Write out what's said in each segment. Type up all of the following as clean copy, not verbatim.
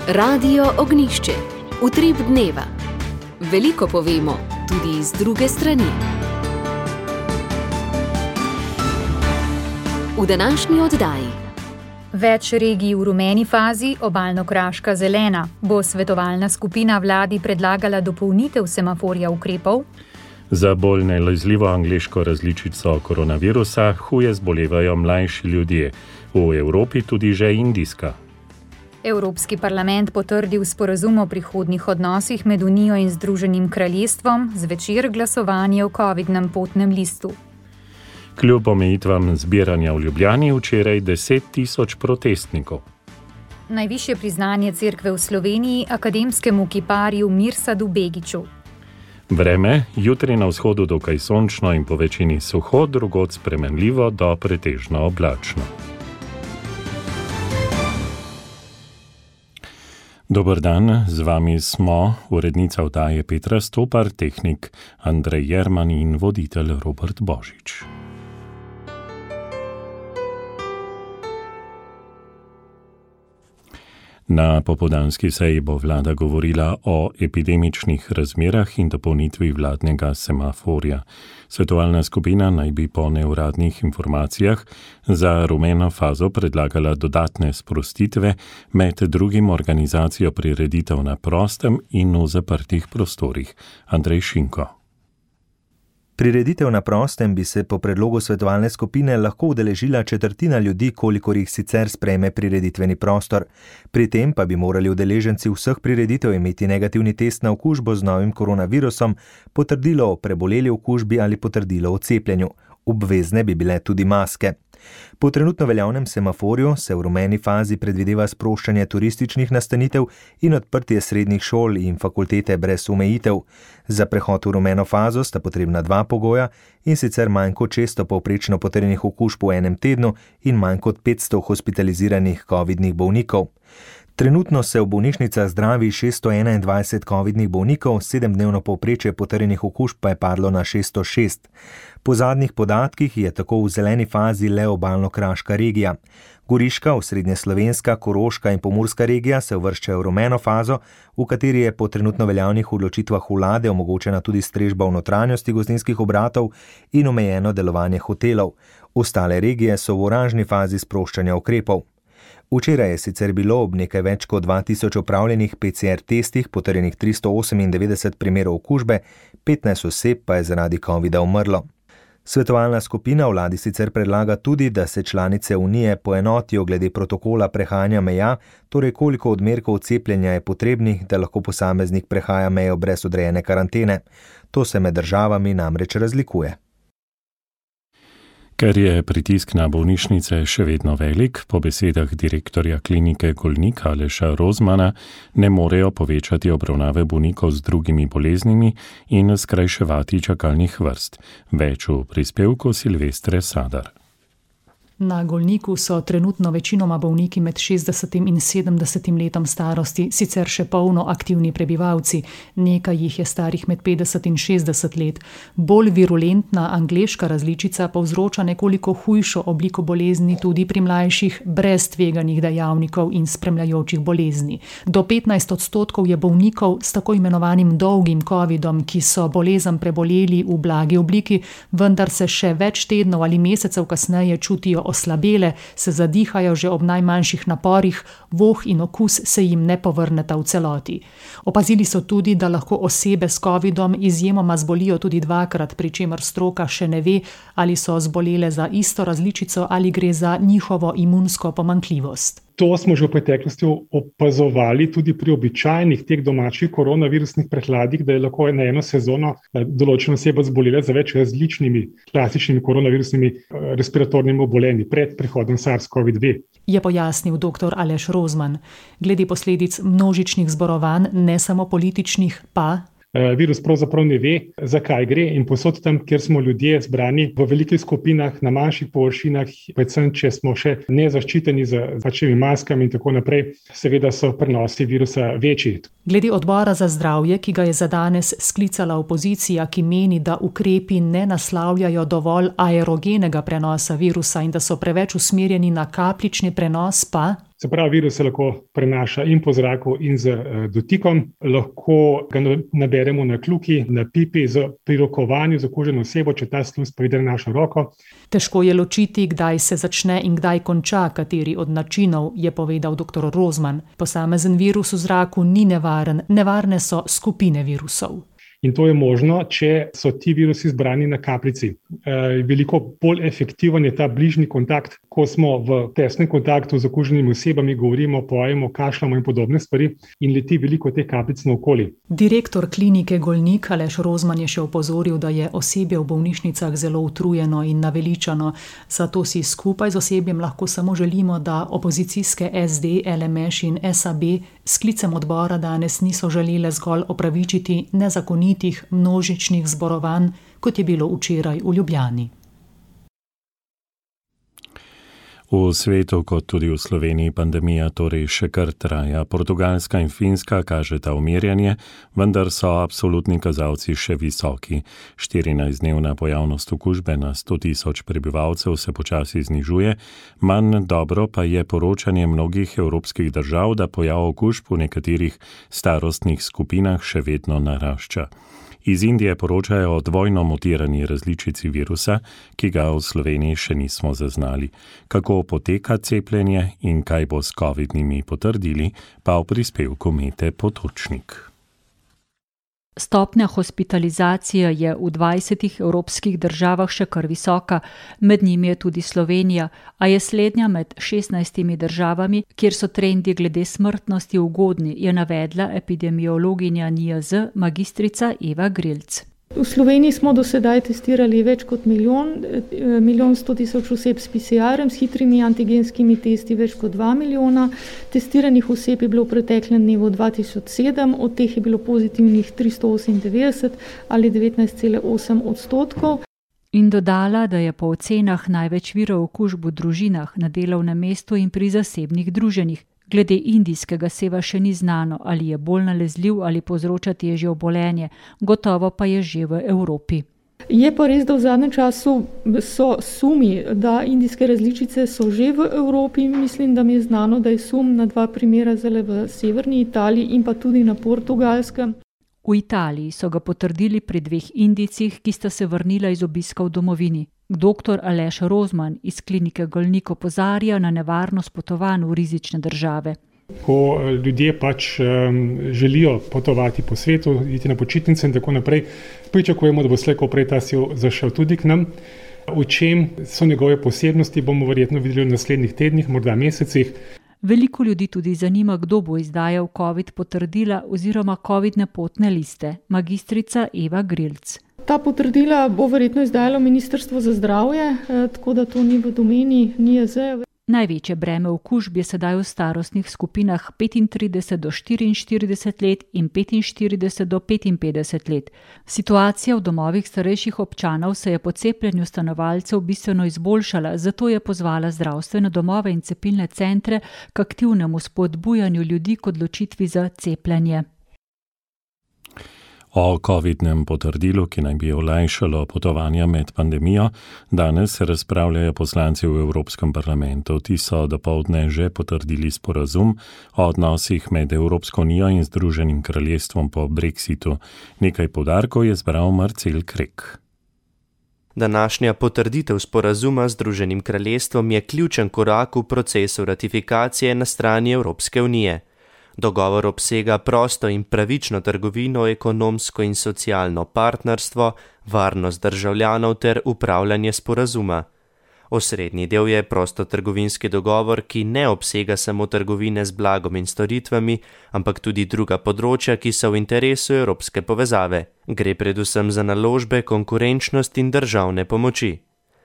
Radio Ognjišče. Utrip dneva. Veliko povemo, tudi iz druge strani. V današnji oddaji. Več regij v rumeni fazi, obalno-kraška zelena. Bo svetovalna skupina vladi predlagala dopolnitev semaforja ukrepov? Za bolj nalezljivo angleško različico koronavirusa huje zbolevajo mlajši ljudje, v Evropi tudi že indijska. Evropski parlament potrdil sporazum o prihodnjih odnosih med Unijo in Združenim kraljestvom, zvečer glasovanje o covidnem potnem listu. Kljub omejitvam zbiranja v Ljubljani včeraj 10 tisoč protestnikov. Najvišje priznanje cerkve v Sloveniji akademskemu kiparju Mirsadu Begiću. Vreme, jutri na vzhodu dokaj sončno in po večini suho, drugod spremenljivo do pretežno oblačno. Dober dan, z vami smo urednica oddaje Petra Stopar, tehnik Andrej Jerman in voditelj Robert Božič. Na popoldanski seji bo vlada govorila o epidemičnih razmerah in dopolnitvi vladnega semaforja. Svetovalna skupina naj bi po neuradnih informacijah za rumeno fazo predlagala dodatne sprostitve, med drugim organizacijo prireditev na prostem in v zaprtih prostorih. Andrej Šinko. Prireditev na prostem bi se po predlogu svetovalne skupine lahko udeležila četrtina ljudi, kolikor jih sicer sprejme prireditveni prostor. Pri tem pa bi morali udeleženci vseh prireditev imeti negativni test na okužbo z novim koronavirusom, potrdilo o preboleli okužbi ali potrdilo o cepljenju. Obvezne bi bile tudi maske. Po trenutno veljavnem semaforju se v rumeni fazi predvideva sproščanje turističnih nastanitev in odprtje srednjih šol in fakultete brez omejitev. Za prehod v rumeno fazo sta potrebna dva pogoja, in sicer manj kot 600 povprečno potrjenih okužb v enem tednu in manj kot 500 hospitaliziranih covidnih bolnikov. Trenutno se v bolnišnicah zdravi 621 covidnih bolnikov, 7-dnevno povprečje potrjenih okužb pa je padlo na 606. Po zadnjih podatkih je tako v zeleni fazi le obalno-kraška regija. Goriška, osrednjeslovenska, Koroška in Pomurska regija se uvrščajo v rumeno fazo, v kateri je po trenutno veljavnih odločitvah vlade omogočena tudi strežba v notranjosti gostinskih obratov in omejeno delovanje hotelov. Ostale regije so v oranžni fazi sproščanja ukrepov. Včeraj je sicer bilo ob nekaj več kot 2000 opravljenih PCR testih potrjenih 398 primerov okužbe, 15 oseb pa je zaradi covida umrlo. Svetovalna skupina vladi sicer predlaga tudi, da se članice Unije poenotijo glede protokola prehajanja meja, torej koliko odmerkov cepljenja je potrebnih, da lahko posameznik prehaja mejo brez odrejene karantene. To se med državami namreč razlikuje. Ker je pritisk na bolnišnice še vedno velik, po besedah direktorja klinike Golnik Aleša Rozmana ne morejo povečati obravnave bolnikov z drugimi boleznimi in skrajševati čakalnih vrst. Več v prispevku Silvestre Sadar. Na Golniku so trenutno večinoma bolniki med 60 in 70 letom starosti, sicer še polno aktivni prebivalci. Nekaj jih je starih med 50 in 60 let. Bolj virulentna angleška različica povzroča nekoliko hujšo obliko bolezni tudi pri mlajših, brez tveganih dejavnikov in spremljajočih bolezni. Do 15% je bolnikov s tako imenovanim dolgim covidom, ki so bolezen preboleli v blagi obliki, vendar se še več tednov ali mesecev kasneje čutijo oslabele, se zadihajo že ob najmanjših naporih, voh in okus se jim ne povrneta v celoti. Opazili so tudi, da lahko osebe s covidom izjemoma zbolijo tudi dvakrat, pri čemer stroka še ne ve, ali so zbolele za isto različico ali gre za njihovo imunsko pomanjkljivost. To smo že v preteklosti opazovali tudi pri običajnih teh domačih koronavirusnih prehladih, da je lahko na eno sezono določena oseba zbolela za več različnimi klasičnimi koronavirusnimi respiratornimi obolenji pred prihodom SARS-CoV-2. Je pojasnil dr. Aleš Rozman. Glede posledic množičnih zborovanj, ne samo političnih, pa Virus pravzaprav ne ve, zakaj gre, in povsod tam, kjer smo ljudje zbrani v velikih skupinah, na manjših površinah, predvsem če smo še nezaščiteni z pačnimi maskami in tako naprej, seveda so prenosi virusa večji. Glede odbora za zdravje, ki ga je za danes sklicala opozicija, ki meni, da ukrepi ne naslavljajo dovolj aerogenega prenosa virusa in da so preveč usmerjeni na kapljični prenos, pa Se pravi, virus se lahko prenaša in po zraku in z dotikom, lahko ga naberemo na kljuki, na pipi, pri rokovanju z okuženo osebo, če ta sluz pride na našo roko. Težko je ločiti, kdaj se začne in kdaj konča kateri od načinov, je povedal dr. Rozman. Posamezen virus v zraku ni nevaren, nevarne so skupine virusov. In to je možno, če so ti virusi zbrani na kapljici. Veliko bolj efektiven je ta bližnji kontakt, ko smo v tesnem kontaktu z okuženimi osebami, govorimo, pojemo, kašljamo in podobne stvari in leti veliko teh kapljic naokoli. Direktor klinike Golnik Aleš Rozman je še opozoril, da je osebje v bolnišnicah zelo utrujeno in naveličano, zato si skupaj z osebjem lahko samo želimo, da opozicijske SD, LMŠ in SAB s sklicem odbora danes niso želele zgolj opravičiti nezakonitih množičnih zborovanj, kot je bilo včeraj v Ljubljani. V svetu, kot tudi v Sloveniji, pandemija torej še kar traja. Portugalska in Finska kažeta umirjanje, vendar so absolutni kazalci še visoki. 14-dnevna pojavnost okužbe na 100.000 prebivalcev se počasi znižuje, manj dobro pa je poročanje mnogih evropskih držav, da pojav okužb v nekaterih starostnih skupinah še vedno narašča. Iz Indije poročajo o dvojno mutirani različici virusa, ki ga v Sloveniji še nismo zaznali. Kako poteka cepljenje in kaj bo s covidnimi potrdili, pa v prispevku Mete Potočnik. Stopnja hospitalizacije je v 20 evropskih državah še kar visoka, med njimi je tudi Slovenija, a je slednja med 16 državami, kjer so trendi glede smrtnosti ugodni, je navedla epidemiologinja NIJZ magistrica Eva Grilc. V Sloveniji smo do sedaj testirali več kot milijon 100 tisoč oseb s PCR-em, s hitrimi antigenskimi testi več kot 2 milijona. Testiranih oseb je bilo v preteklem dnevu 2007, od teh je bilo pozitivnih 398 ali 19,8%. In dodala, da je po ocenah največ virov okužb v družinah, na delovnem mestu in pri zasebnih druženjih. Glede indijskega seva še ni znano, ali je bolj nalezljiv ali povzroča težje obolenje, gotovo pa je že v Evropi. Je pa res, da v zadnjem času so sumi, da indijske različice so že v Evropi. Mislim, da mi je znano, da je sum na 2 primera zdaj v severni Italiji in pa tudi na Portugalskem. V Italiji so ga potrdili pri 2 Indijcih, ki sta se vrnila iz obiska v domovini. Dr. Aleš Rozman iz klinike Golnik opozarja na nevarnost potovanj v rizične države. Ko ljudje želijo potovati po svetu, iti na počitnice in tako naprej, pričakujemo, da bo slej ko prej ta sil zašel tudi k nam. V čem so njegove posebnosti, bomo verjetno videli v naslednjih tednih, morda mesecih. Veliko ljudi tudi zanima, kdo bo izdajal COVID potrdila oziroma covidne potne liste. Magistrica Eva Grilc. Ta potrdila bo verjetno izdajalo Ministrstvo za zdravje, tako da to ni v domeni NIJZ. Največje breme okužb je sedaj v starostnih skupinah 35 do 44 let in 45 do 55 let. Situacija v domovih starejših občanov se je po cepljenju stanovalcev bistveno izboljšala, zato je pozvala zdravstvene domove in cepilne centre k aktivnemu spodbujanju ljudi k odločitvi za cepljenje. O covidnem potrdilu, ki naj bi olajšalo potovanja med pandemijo, danes razpravljajo poslanci v Evropskem parlamentu. Ti so dopoldne že potrdili sporazum o odnosih med Evropsko unijo in Združenim kraljestvom po Brexitu. Nekaj poudarkov je zbral Marcel Krek. Današnja potrditev sporazuma z Združenim kraljestvom je ključen korak v procesu ratifikacije na strani Evropske unije. Dogovor obsega prosto in pravično trgovino, ekonomsko in socialno partnerstvo, varnost državljanov ter upravljanje sporazuma. Osrednji del je prostotrgovinski dogovor, ki ne obsega samo trgovine z blagom in storitvami, ampak tudi druga področja, ki so v interesu evropske povezave. Gre predvsem za naložbe, konkurenčnost in državne pomoči.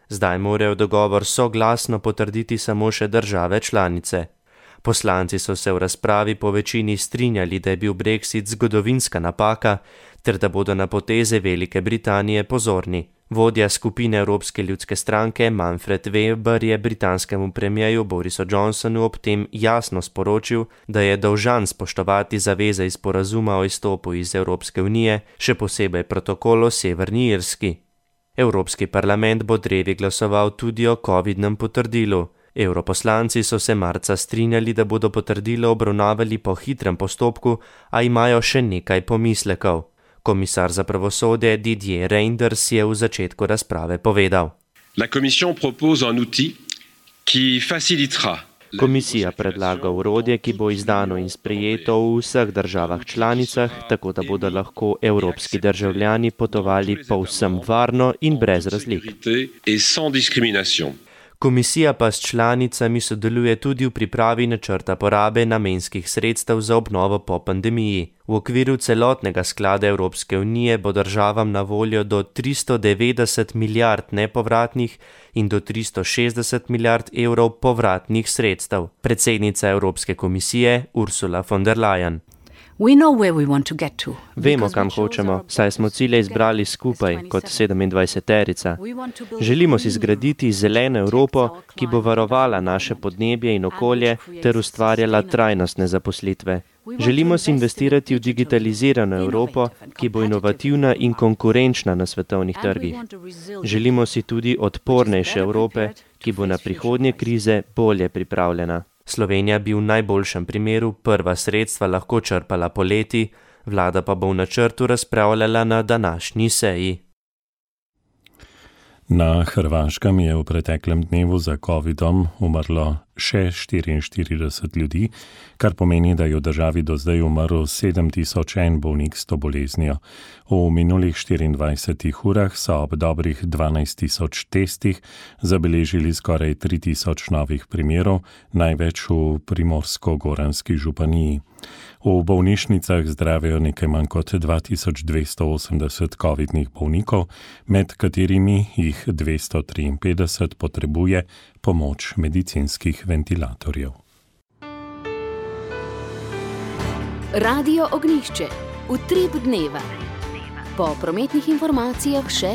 Zdaj morajo dogovor soglasno potrditi samo še države članice. Poslanci so se v razpravi po večini strinjali, da je bil Brexit zgodovinska napaka, ter da bodo na poteze Velike Britanije pozorni. Vodja skupine Evropske ljudske stranke Manfred Weber je britanskemu premierju Borisu Johnsonu ob tem jasno sporočil, da je dolžan spoštovati zaveze iz sporazuma o izstopu iz Evropske unije, še posebej protokol o Severni Irski. Evropski parlament bo drevi glasoval tudi o covidnem potrdilu. Evroposlanci so se marca strinjali, da bodo potrdilo obravnavali po hitrem postopku, a imajo še nekaj pomislekov. Komisar za pravosodje Didier Reynders je v začetku razprave povedal. Komisija predlaga orodje, ki bo izdano in sprejeto v vseh državah članicah, tako da bodo lahko evropski državljani potovali povsem varno in brez razlik. Komisija pa s članicami sodeluje tudi v pripravi načrta porabe namenskih sredstev za obnovo po pandemiji. V okviru celotnega sklada Evropske unije bo državam na voljo do 390 milijard nepovratnih in do 360 milijard evrov povratnih sredstev. Predsednica Evropske komisije Ursula von der Leyen. Vemo, kam hočemo, saj smo cilje izbrali skupaj kot 27-terica. Želimo si zgraditi zeleno Evropo, ki bo varovala naše podnebje in okolje ter ustvarjala trajnostne zaposlitve. Želimo si investirati v digitalizirano Evropo, ki bo inovativna in konkurenčna na svetovnih trgih. Želimo si tudi odpornejše Evrope, ki bo na prihodnje krize bolje pripravljena. Slovenija bi v najboljšem primeru prva sredstva lahko črpala poleti, vlada pa bo v načrtu razpravljala na današnji seji. Na Hrvaškem je v preteklem dnevu za COVID-om umrlo še 44 ljudi, kar pomeni, da je v državi do zdaj umrl 7001 bolnik s to boleznijo. V minulih 24 urah so ob dobrih 12.000 testih zabeležili skoraj 3000 novih primerov, največ v Primorsko-Goranski županiji. V bolnišnicah zdravijo nekaj manj kot 2280 COVID-nih bolnikov, med katerimi jih 253 potrebuje pomoč medicinskih ventilatorjev. Radio Ognjišče, utrip dneva. Po prometnih informacijah še: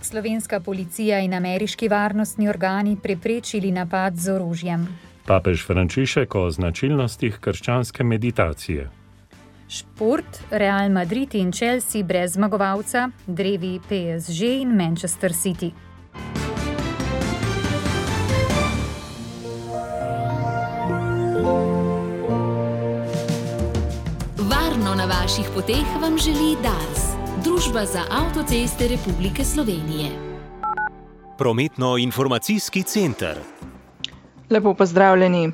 Slovenska policija in ameriški varnostni organi preprečili napad z orožjem. Papež Frančišek o značilnostih krščanske meditacije. Šport, Real Madrid in Chelsea brez zmagovalca, drevi PSG in Manchester City. Varno na vaših poteh vam želi Dars, Družba za avtoceste Republike Slovenije. Prometno-informacijski center. Lepo pozdravljeni.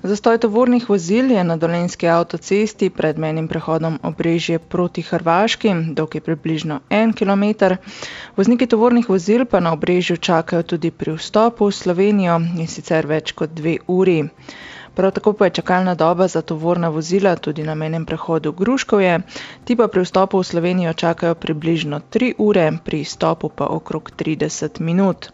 Zastoj tovornih vozil je na Dolenjski avtocesti pred mejnim prehodom Obrežje proti Hrvaški, dolg je približno 1 kilometer. Vozniki tovornih vozil pa na Obrežju čakajo tudi pri vstopu v Slovenijo in sicer več kot 2 uri. Prav tako pa je čakalna doba za tovorna vozila tudi na mejnem prehodu Gruškovje, ti pa pri vstopu v Slovenijo čakajo približno 3 ure, pri izstopu pa okrog 30 minut.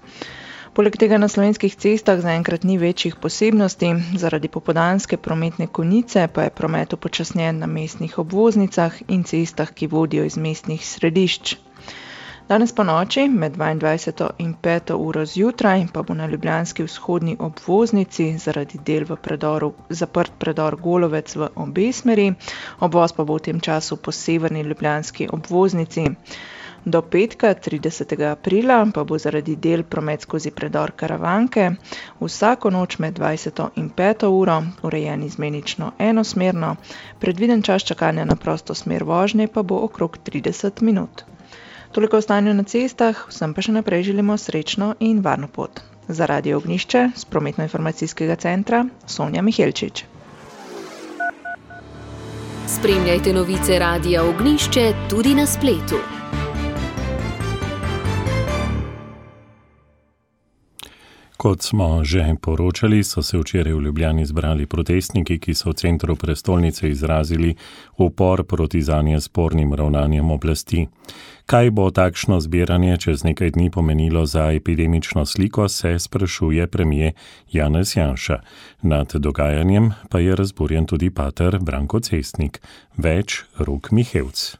Poleg tega na slovenskih cestah zaenkrat ni večjih posebnosti, zaradi popoldanske prometne konice pa je promet upočasnjen na mestnih obvoznicah in cestah, ki vodijo iz mestnih središč. Danes po noči med 22. in 5. uro zjutraj pa bo na ljubljanski vzhodni obvoznici zaradi del v predoru zaprt predor Golovec v obe smeri, obvoz pa bo v tem času po severni ljubljanski obvoznici. Do petka, 30. aprila, pa bo zaradi del promet skozi predor Karavanke vsako noč med 20. in 5. uro urejen izmenično enosmerno, predviden čas čakanja na prosto smer vožnje pa bo okrog 30 minut. Toliko o stanju na cestah, vsem pa še naprej želimo srečno in varno pot. Za Radio Ognjišče z prometno-informacijskega centra Sonja Mihelčič. Spremljajte novice Radia Ognjišče tudi na spletu. Kot smo že poročali, so se včeraj v Ljubljani zbrali protestniki, ki so v centru prestolnice izrazili upor proti zanje spornim ravnanjem oblasti. Kaj bo takšno zbiranje čez nekaj dni pomenilo za epidemično sliko, se sprašuje premier Janez Janša. Nad dogajanjem pa je razburjen tudi pater Branko Cestnik. Več Rok Mihevc.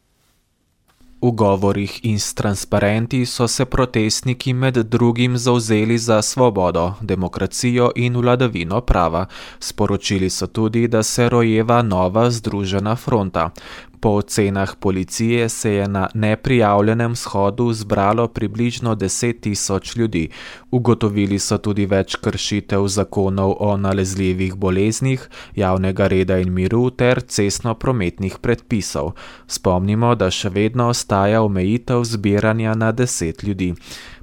V govorih in s transparenti so se protestniki med drugim zavzeli za svobodo, demokracijo in vladavino prava. Sporočili so tudi, da se rojeva nova združena fronta. Po ocenah policije se je na neprijavljenem shodu zbralo približno 10.000 ljudi. Ugotovili so tudi več kršitev zakonov o nalezljivih boleznih, javnega reda in miru ter cestno-prometnih predpisov. Spomnimo, da še vedno ostaja omejitev zbiranja na 10 ljudi.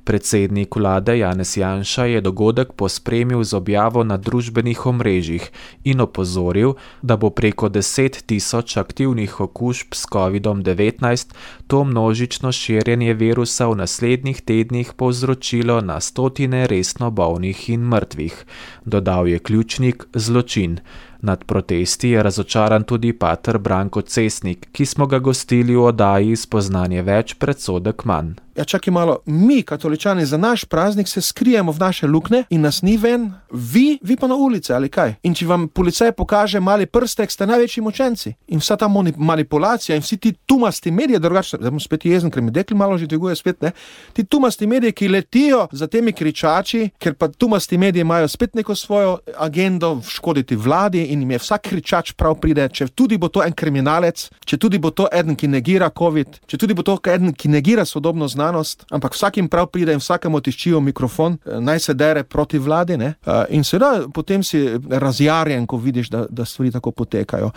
Predsednik vlade Janez Janša je dogodek pospremil z objavo na družbenih omrežjih in opozoril, da bo preko 10.000 aktivnih okužb s COVID-19 to množično širjenje virusa v naslednjih tednih povzročilo na stotine resno bolnih in mrtvih. Dodal je ključnik zločin. Nad protesti je razočaran tudi pater Branko Cesnik, ki smo ga gostili v oddaji Spoznanje več, predsodek manj. Ja, čakaj malo, mi, katoličani, za naš praznik se skrijemo v naše lukne in nas ni ven, vi pa na ulice ali kaj. In če vam policaj pokaže mali prstek, ste največji močenci. In vsa ta manipulacija in vsi ti tumasti mediji, drugače, zdaj bom spet jezen, ker mi dekli malo že dviguje spet, ne? Ti tumasti mediji, ki letijo za temi kričači, ker pa tumasti mediji imajo spet neko svojo agendo škoditi vladi in jim je vsak kričač prav pride, če tudi bo to en kriminalec, če tudi bo to eden, ki negira COVID, če tudi bo to eden, ki negira sodobno znanost, ampak vsakim prav pride in vsakemu tiščijo mikrofon, naj se dere proti vladi, ne? In seveda potem si razjarjen, ko vidiš, da stvari tako potekajo.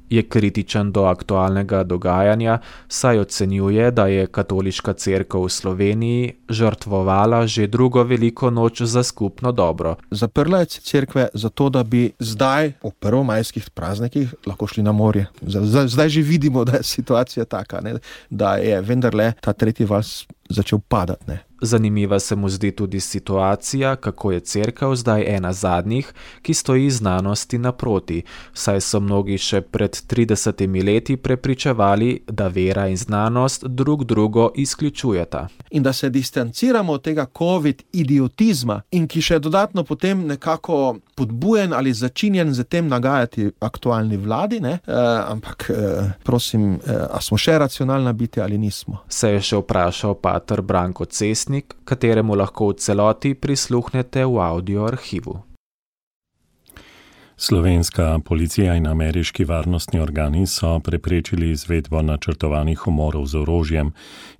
Je kritičen do aktualnega dogajanja, saj ocenjuje, da je katoliška cerkev v Sloveniji žrtvovala že drugo veliko noč za skupno dobro. Zaprla je cerkve zato, da bi zdaj v prvomajskih praznikih lahko šli na morje. Zdaj že vidimo, da je situacija taka, ne? Da je vendarle ta tretji val začel padati, ne? Zanimiva se mu zdi tudi situacija, kako je cerkev zdaj ena zadnjih, ki stoji znanosti naproti, saj so mnogi še pred 30 leti prepričevali, da vera in znanost drug drugo izključujeta. In da se distanciramo od tega COVID-idiotizma in ki še dodatno potem nekako podbujen ali začinjen z tem nagajati aktualni vladi, ne? Ampak prosim, a smo še racionalna biti ali nismo? Se je še vprašal pater Branko Cesnik, kateremu lahko v celoti prisluhnete v audio arhivu. Slovenska policija in ameriški varnostni organi so preprečili izvedbo načrtovanih umorov z orožjem.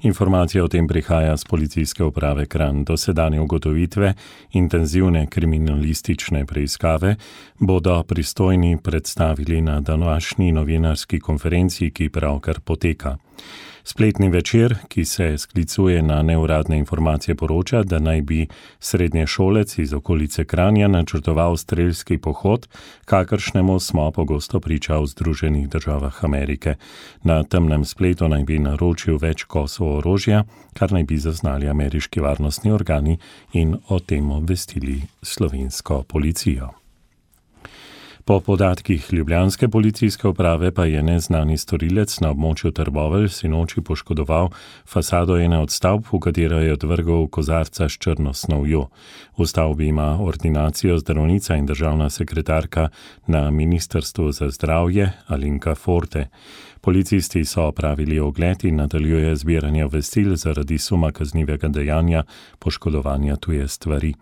Informacija o tem prihaja z policijske uprave Kranj. Dosedanje ugotovitve intenzivne kriminalistične preiskave bodo pristojni predstavili na današnji novinarski konferenci, ki pravkar poteka. Spletni večer, ki se sklicuje na neuradne informacije, poroča, da naj bi srednješolec iz okolice Kranja načrtoval strelski pohod, kakršnemu smo pogosto priča v Združenih državah Amerike. Na temnem spletu naj bi naročil več kosov orožja, kar naj bi zaznali ameriški varnostni organi in o tem obvestili slovensko policijo. Po podatkih ljubljanske policijske uprave pa je neznani storilec na območju Trbovelj sinoči poškodoval fasado ene od stavb, v katero je odvrgel kozarca s črno snovjo. V stavbi ima ordinacijo zdravnica in državna sekretarka na Ministrstvu za zdravje Alenka Forte. Policisti so opravili ogled in nadaljuje zbiranje obvestil zaradi suma kaznivega dejanja poškodovanja tuje stvari.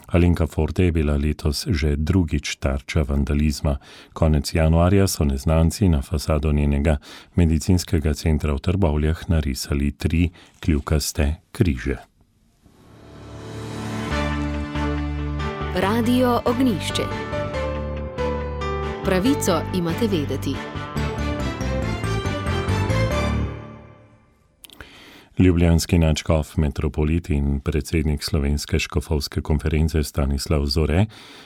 Alenka Forte je bila letos že drugič tarča vandalizma. Konec januarja so neznanci na fasado njenega medicinskega centra v Trbovljah narisali 3 kljukaste križe. Radio Ognjišče. Pravico imate vedeti. Ljubljanski nadškof, metropolit in predsednik Slovenske škofovske konference Stanislav Zore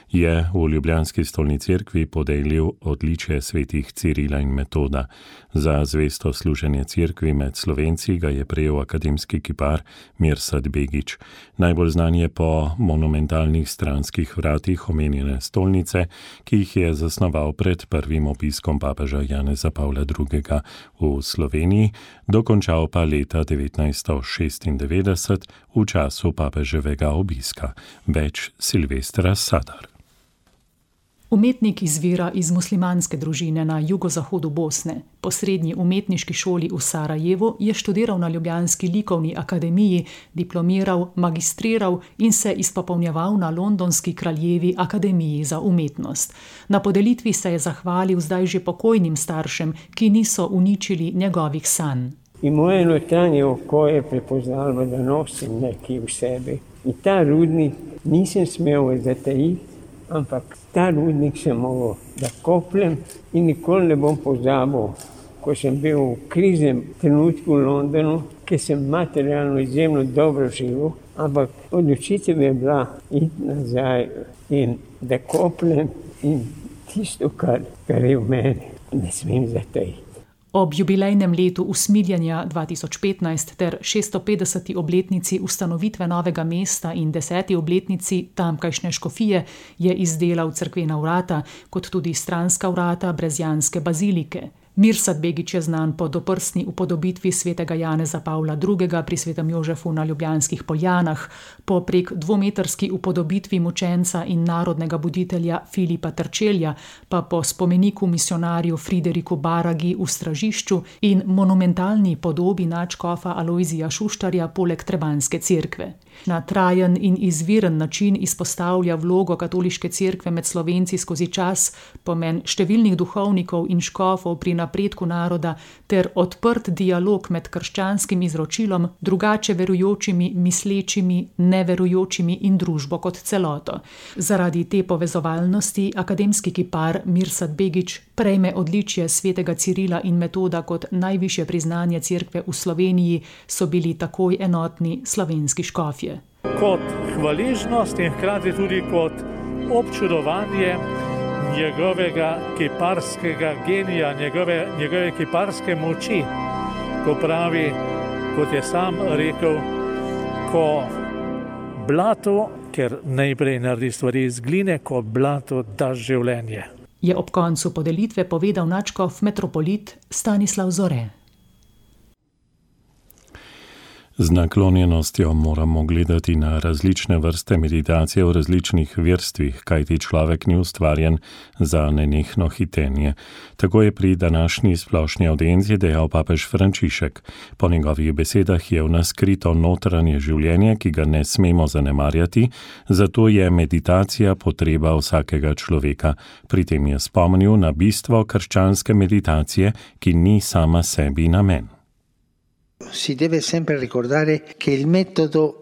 je v ljubljanski stolni cerkvi podelil odličje svetih Cirila in Metoda. Za zvesto služenje cerkvi med Slovenci ga je prejel akademski kipar Mirsad Begić. Najbolj znan je po monumentalnih stranskih vratih omenjene stolnice, ki jih je zasnoval pred prvim obiskom papeža Janeza Pavla II. V Sloveniji, dokončal pa leta 1996 v času papeževega obiska. Več Silvestra Sadar. Umetnik izvira iz muslimanske družine na jugozahodu Bosne. Po srednji umetniški šoli v Sarajevu je študiral na ljubljanski likovni akademiji, diplomiral, magistriral in se izpopolnjeval na londonski Kraljevi akademiji za umetnost. Na podelitvi se je zahvalil zdaj že pokojnim staršem, ki niso uničili njegovih sanj. In moje notranje oko je prepoznalo, da nosim nekaj v sebi. In ta rudnik nisem smel zatajiti, ampak ta rudnik sem mogel, da kopljem in nikoli ne bom pozabil, ko sem bil v kriznem trenutku v Londonu, ker sem materialno izjemno dobro živel, ampak odločitev je bila iti nazaj in da kopljem in tisto, kar je v meni, ne smem zatajiti. Ob jubilejnem letu usmiljenja 2015 ter 650. obletnici ustanovitve novega mesta in 10. obletnici tamkajšnje škofije je izdelal cerkvena vrata, kot tudi stranska vrata brezjanske bazilike. Mirsad Begić je znan po doprsni upodobitvi svetega Janeza Pavla II. Pri svetem Jožefu na Ljubljanskih Poljanah, po prek 2-metrski upodobitvi mučenca in narodnega buditelja Filipa Trčelja, pa po spomeniku misionarju Frideriku Baragi v Stražišču in monumentalni podobi nadškofa Alojzija Šuštarja poleg Trebanjske cerkve. Na trajen in izviren način izpostavlja vlogo katoliške cerkve med Slovenci skozi čas, pomen številnih duhovnikov in škofov pri napredku naroda ter odprt dialog med krščanskim izročilom, drugače verujočimi, mislečimi, neverujočimi in družbo kot celoto. Zaradi te povezovalnosti akademski kipar Mirsad Begić prejme odličje svetega Cirila in Metoda kot najvišje priznanje cerkve v Sloveniji, so bili takoj enotni slovenski škofje. Kot hvaležnost in hkrati tudi kot občudovanje njegovega kiparskega genija, njegove kiparske moči, ko pravi, kot je sam rekel, ko blato, ker najprej naredi stvari iz gline, ko blato da življenje. Je ob koncu podelitve povedal nadškof metropolit Stanislav Zore. Z naklonjenostjo moramo gledati na različne vrste meditacije v različnih verstvih, kajti človek ni ustvarjen za nenehno hitenje. Tako je pri današnji splošni audienci dejal papež Frančišek. Po njegovih besedah je v nas skrito notranje življenje, ki ga ne smemo zanemarjati, zato je meditacija potreba vsakega človeka. Pri tem je spomnil na bistvo krščanske meditacije, ki ni sama sebi namen.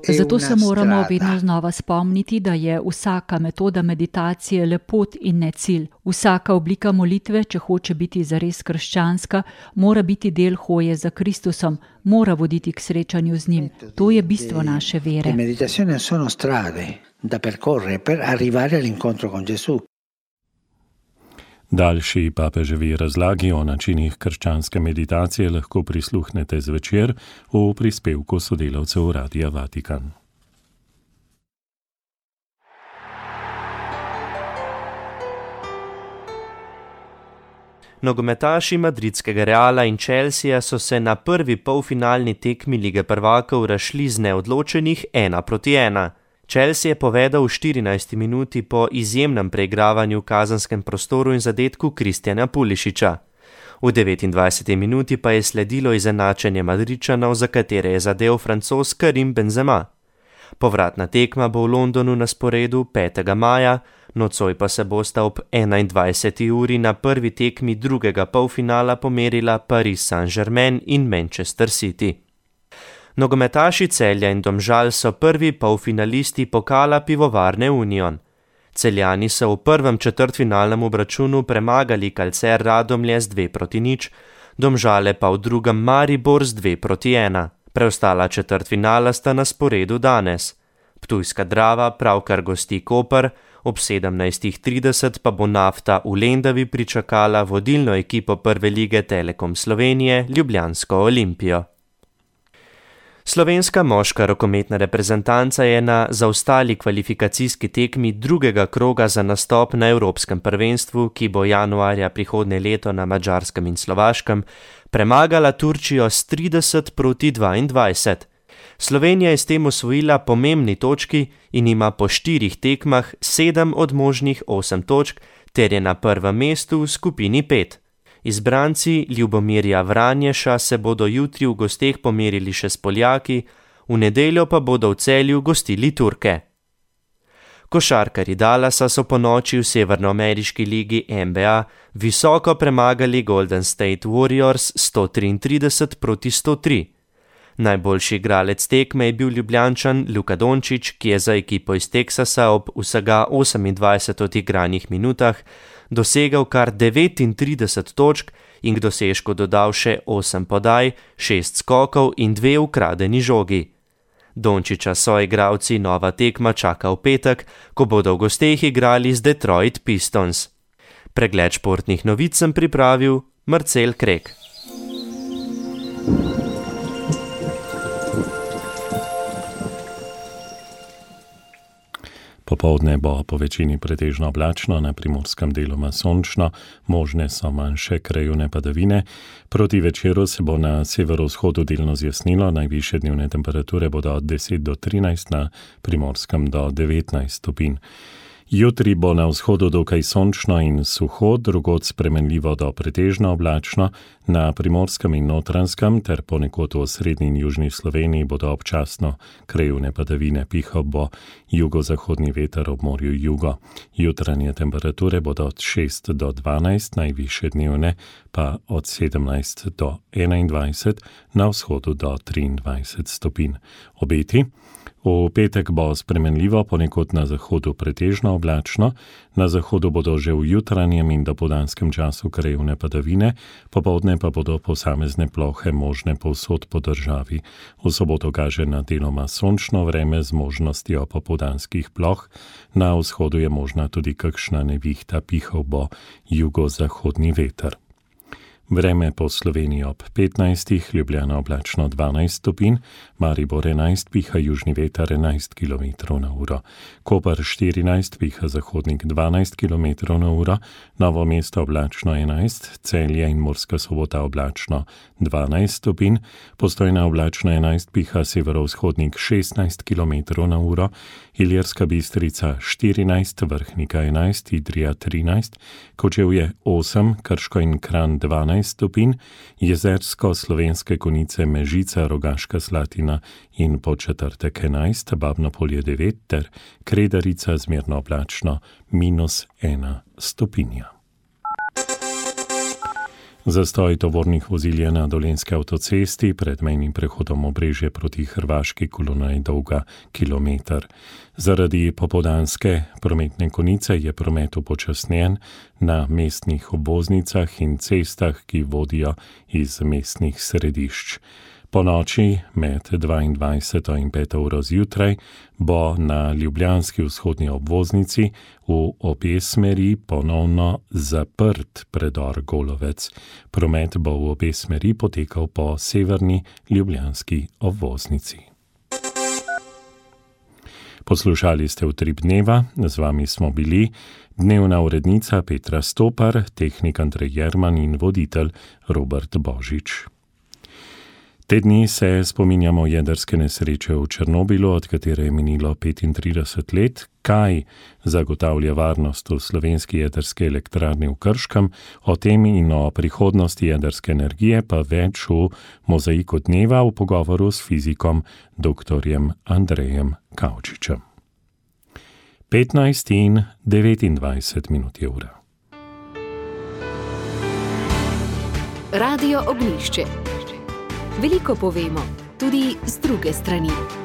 Zato se moramo vedno znova spomniti, da je vsaka metoda meditacije le pot in ne cilj. Vsaka oblika molitve, če hoče biti zares krščanska, mora biti del hoje za Kristusom, mora voditi k srečanju z njim. To je bistvo naše vere. Meditazioni sono strade da percorrere per arrivare all'incontro con Gesù. Daljši papeževi razlagi o načinih krščanske meditacije lahko prisluhnete zvečer v prispevku sodelavcev Radia Vatikan. Nogometaši madridskega Reala in Chelsea so se na prvi polfinalni tekmi Lige prvakov razšli z neodločenih 1-1. Chelsea je povedal v 14. minuti po izjemnem preigravanju v kazenskem prostoru in zadetku Kristjana Pulišiča. V 29. minuti pa je sledilo izenačenje Madridčanov, za katere je zadel Francoz Karim Benzema. Povratna tekma bo v Londonu na sporedu 5. maja, nocoj pa se bosta ob 21. uri na prvi tekmi drugega polfinala pomerila Paris Saint-Germain in Manchester City. Nogometaši Celja in Domžal so prvi polfinalisti pokala Pivovarne Union. Celjani so v prvem četrtfinalnem obračunu premagali Calcer Radomlje z 2-0, Domžale pa v drugem Maribor z 2-1. Preostala četrtfinala sta na sporedu danes. Ptujska Drava pravkar gosti Koper, ob 17.30 pa bo Nafta v Lendavi pričakala vodilno ekipo prve lige Telekom Slovenije, Ljubljansko Olimpijo. Slovenska moška rokometna reprezentanca je na zaostali kvalifikacijski tekmi drugega kroga za nastop na Evropskem prvenstvu, ki bo januarja prihodnje leto na Madžarskem in Slovaškem, premagala Turčijo s 30-22. Slovenija je s tem osvojila pomembni točki in ima po 4 tekmah 7 od možnih 8 točk ter je na prvem mestu v skupini 5. Izbranci Ljubomirja Vranješa se bodo jutri v gosteh pomerili še s Poljaki, v nedeljo pa bodo v Celju gostili Turke. Košarkarji Dallasa so ponoči v severnoameriški ligi NBA visoko premagali Golden State Warriors 133-103. Najboljši igralec tekme je bil Ljubljančan Luka Dončić, ki je za ekipo iz Teksasa ob vsega 28 odigranih minutah dosegal kar 39 točk in k dosežku dodal še 8 podaj, 6 skokov in 2 ukradeni žogi. Dončića so igralci nova tekma čaka v petek, ko bodo v gosteh igrali z Detroit Pistons. Pregled športnih novic sem pripravil Marcel Krek. Popoldne bo po večini pretežno oblačno, na primorskem deloma sončno, možne so manjše krajevne padavine. Proti večeru se bo na severovzhodu delno zjasnilo, najvišje dnevne temperature bodo od 10 do 13, na primorskem do 19 stopinj. Jutri bo na vzhodu dokaj sončno in suho, drugod spremenljivo do pretežno oblačno, na primorskem in Notranjskem ter ponekod v srednji in južni Sloveniji bodo občasno krajevne padavine, pihal bo jugozahodni veter ob morju jugo. Jutranje temperature bodo od 6 do 12, najvišje dnevne pa od 17 do 21, na vzhodu do 23 stopinj. Obeti. V petek bo spremenljivo, ponekod na zahodu pretežno oblačno, na zahodu bodo že v jutranjem in dopoldanskem času krajevne padavine, popoldne pa bodo posamezne plohe možne povsod po državi. V soboto kaže na deloma sončno vreme z možnostjo popoldanskih ploh, na vzhodu je možna tudi kakšna nevihta, pihal bo jugozahodni veter. Vreme po Sloveniji ob 15, Ljubljana oblačno 12 stopinj, Maribor 11, piha južni veter 11 km na uro, Koper 14, piha zahodnik 12 km na uro, Novo mesto oblačno 11, Celje in Murska Sobota oblačno 12 stopinj, Postojna oblačno 11, piha severovzhodnik 16 km na uro, Ilirska Bistrica 14, Vrhnika 11, Idrija 13, Kočevje 8, Krško in Kranj 12 stopinj, Jezersko, Slovenske Konjice, Mežica, Rogaška Slatina in Podčetrtek 11, Babnopolje 9 ter Kredarica zmerno oblačno -1 stopinja. Zastoj tovornih vozil je na Dolenjski avtocesti pred mejnim prehodom Obrežje proti Hrvaški, kolona je dolga kilometer. Zaradi popoldanske prometne konice je promet upočasnjen na mestnih obvoznicah in cestah, ki vodijo iz mestnih središč. Po noči med 22 in 5 uro zjutraj bo na ljubljanski vzhodni obvoznici v obe smeri ponovno zaprt predor Golovec. Promet bo v obe smeri potekal po severni ljubljanski obvoznici. Poslušali ste Utrip dneva, z vami smo bili dnevna urednica Petra Stopar, tehnik Andrej Jerman in voditelj Robert Božič. Te dni se spominjamo jedrske nesreče v Černobilu, od katere je minilo 35 let. Kaj zagotavlja varnost v slovenski jedrski elektrarni v Krškem? O tem in o prihodnosti jedrske energije pa več v Mozaiku dneva v pogovoru s fizikom dr. Andrejem Kavčičem. 15 in 29 minut je ura. Radio Ognjišče. Veliko povemo, tudi z druge strani.